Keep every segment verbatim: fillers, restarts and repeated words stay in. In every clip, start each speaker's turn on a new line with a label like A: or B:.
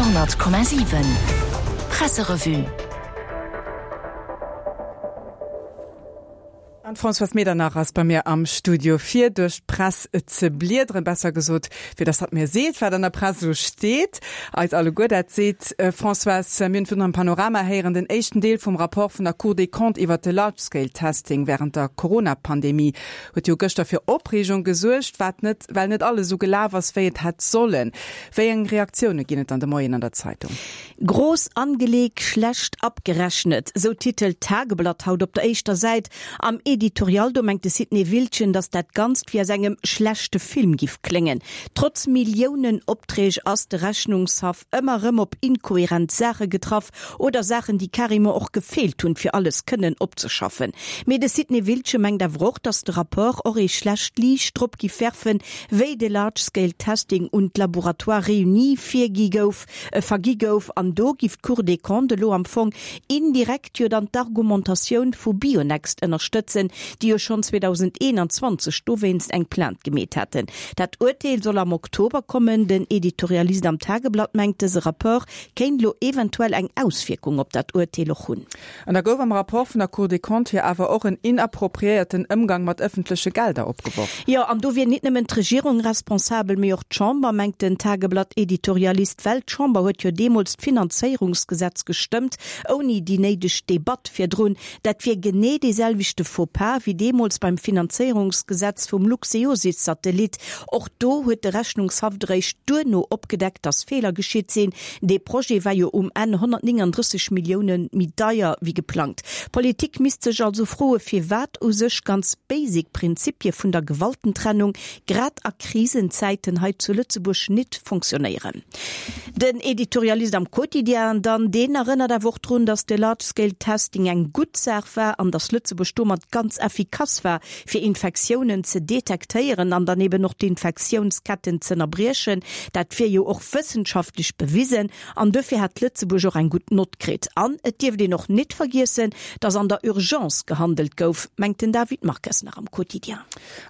A: Radio honnert Komma siwen Presserevue.
B: An d'Françoise Medernach ass bei mir am Studio fir duerch d'Press ze bliederen, besser gesot, fir dass hatt mir seet, wat an der Press esou steet. Eis alleguer dat seet. Françoise, mir hunn virun am Panorama héieren, den éischten Deel vum Rapport vun der Cour des Comptes iwwert de Large-Scale-Testing während der Corona-Pandemie huet jo gëschter fir Opreegung gesuergt, wat net, well net alles esou gelaf ass, wéi et hätt sollen. Wéi eng Reaktioune ginn et dann de Moien an der Zeitung?
C: Groß angelegt, schlecht abgerechnet, sou titelt d'Tageblatt haut op der éischter Säit. Am Editorial do mengt de Sidney Wiltgen, datt dat Ganzt wéi aus engem schlechte Film giff kléngen. Trotz Milliounen-Opträg ass de Rechnungshaff ëmmer rëm op inkoherent Saache getraff oder Saachen, déi carrément och gefeelt hunn, fir alles kënnen opzeschaffen. Mee de Sidney Wiltgen mengt awer och, datt de Rapport och ee schlecht Liicht drop giff werfen, wéi de Large-Scale Testing un d'Laboratoires Réunis virgi gouf, vergi gouf an do giff d'Cour des Comptes elo am Fong indirekt jo dann d'Argumentatioun vu Bionext ënnerstëtzen, déi jo schonn zweedausendeenanzwanzeg dowéinst eng Plainte gemeet haten. Dat Urteel soll am Oktober kommen. Den Editorialist am Tageblatt mengt, dëse Rapport kéint elo eventuell eng Auswierkung op dat Urteel och hunn.
B: An da gouf am Rapport vun der Cour des Comptes jo awer och en inappropriéierten Ëmgang mat ëffentleche Gelder opgeworf.
C: Jo, an do wier nit nëmmen d'Regierung responsabel, mee och d'Chamber, mengt den Tageblatt-Editorialist, well d'Chamber huet jo deemools d'Finanzéierungsgesetz gestëmmt, ouni déi néideg Debatt virdrun. Dat wier genee dee selwechte Faux-pas wéi deemools beim Finanzéierungsgesetz vum Luxeosys-Satellit. Och do huet de Rechnungshaff eréischt duerno opgedeckt, dass Feeler geschitt sinn. Dee Projet war jo um Enn honnertnénganddrësseg Millioune méi deier wéi geplangt. D'Politik misst sech also froe firwat u sech ganz basic Prinzipie vun der Gewaltentrennung grad a Krisenzäiten hei zu Lëtzebuerg nit fonctionnéieren. Den Editorialist am Quotidien dann, deen erënnert awer och drun, dass de Large Scale Testing eng gutt Saach war an dass Lëtzebuerg domat ganz effikass war, fir Infektiounen ze detektéieren an dann eben och d'Infektiounsketten z'ënnerbriechen. Dat wier jo och wëssenschaftlech bewisen an dofir hätt Lëtzebuerg och eng gutt Nott kritt. An et dierft een och nit vergiessen, dass an der Urgence gehandelt gouf, mengt den David Marques nach am Quotidien.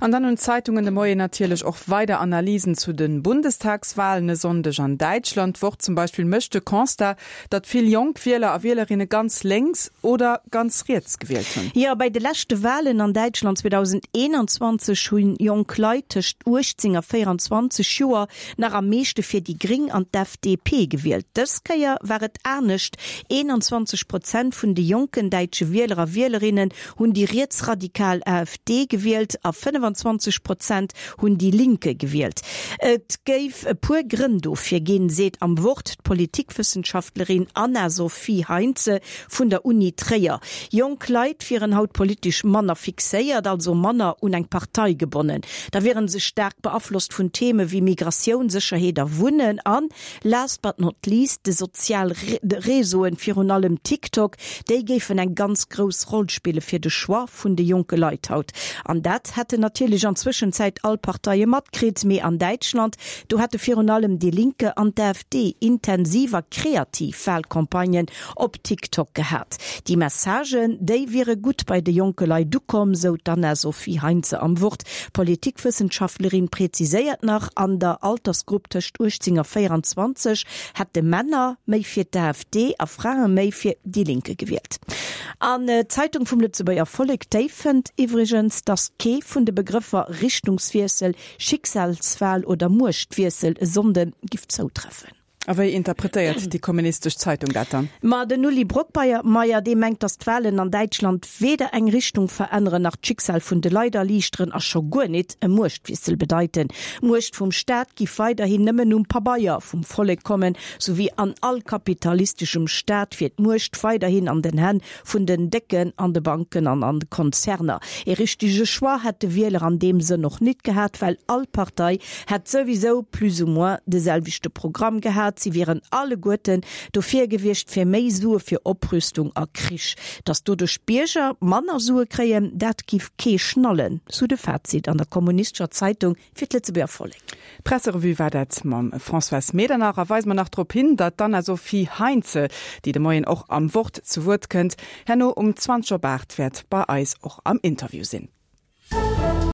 B: An dann hunn d'Zeitungen de Moien natierlech och weider Analysen zu de Bundestagswalen e Sonndeg an Däitschland. D'Wort zum Beispill mécht de Constat, datt vill jonk Wieler a Wielerinne ganz lénks oder ganz riets gewielt hunn.
C: Jo, bei de leschte Walen an Däitschland zweedausendeenanzwanzeg hunn jonk Leit tëscht uechtzéng a véieranzwanzeg Joer nach am meeschte fir déi Gréng an d'F D P gewielt. Dës Kéier war et anescht, eenanzwanzeg Prozent vun de jonken däitsche Wieler a Wielerinnen hunn déi rietsradikal A F D gewielt a fënnefenzwanzeg Prozent hunn Die Linke gewielt. Et géif e puer Grënn dofir ginn, seet am Wort d'Politikwëssenschaftlerin Anna-Sophie Heinze vun der Uni Tréier. Jonk Leit wieren haut politesch manner fixéiert, also manner un eng Partei gebonnen. Da wiere se staark beaflosst vun Theme wéi Migratioun, Sécherheet a Wunnen an, last but not least, de sozial Reseauen, virun allem TikTok, déi géifen eng ganz grouss Roll spille fir de Choix vun de jonke Leit haut. An dat hätten natierlech an Zwëschenzäit all Parteie matkritt, mee an Däitschland, do hätte virun allem Die Linke an d'A F D intensiv a kreativ Walcampagnen op TikTok gehat. Déi Messagen, déi wiere gutt bei de jonke Leit ukomm, sou d'Anna-Sophie Heinze am Wort. D'Politikwëssenschaftlerin präziséiert nach, An der Altersgrupp tëscht uechtzéng a véieranzwanzeg hätte Männer méi fir d'A F D a Frae méi fir Die Linke gewielt. An d'Zeitung vum Lëtzebuerger Vollek, déi fënnt iwwregens, datt kee vun de Begrëffer Richtungswiessel, Schicksalswahl oder Muechtwiessel e Sonnde giff zoutreffen.
B: A wéi interpretéiert déi kommunistesch Zeitung dat dann?
C: Ma den Uli Brockmeyer, dee mengt, datt d'Wahlen an Däitschland weder eng Richtung veränneren nach d'Schicksal vun de Leit erliichteren a scho guer nit e Muechtwiessel bedeiten. D'Muecht vum Staat giff weiderhin nëmmen um Pabeier vum Vollek kommen, sou wéi an all kapitalisteschem Staat wier d'Muecht weiderhin an den Hänn vun den Décken an de Banken an an de Konzerner. Ee richtege Choix hätt de Wieler an deem Sënn och nit gehat, well all Partei hätt souwisou plus ou moins de selwechte Programm gehat, si wieren alleguerten dofir gewiescht fir méi Sue fir Oprüstung a Krich. Datt doduerch d'Bierger manner Sue kréien, dat giff kee schnallen, sou de Fazit an der Kommunistescher Zeitung fir d'Lëtzebuerger Vollek.
B: D'Presserevue war dat mam Françoise Medernach. A weise mer nach drop hin, datt d'Anna-Sophie Heinze, déi de Moien och am Wort zu Wuert kënnt, herno um zwanzeg op aacht wäert bei eis och am Interview sinn.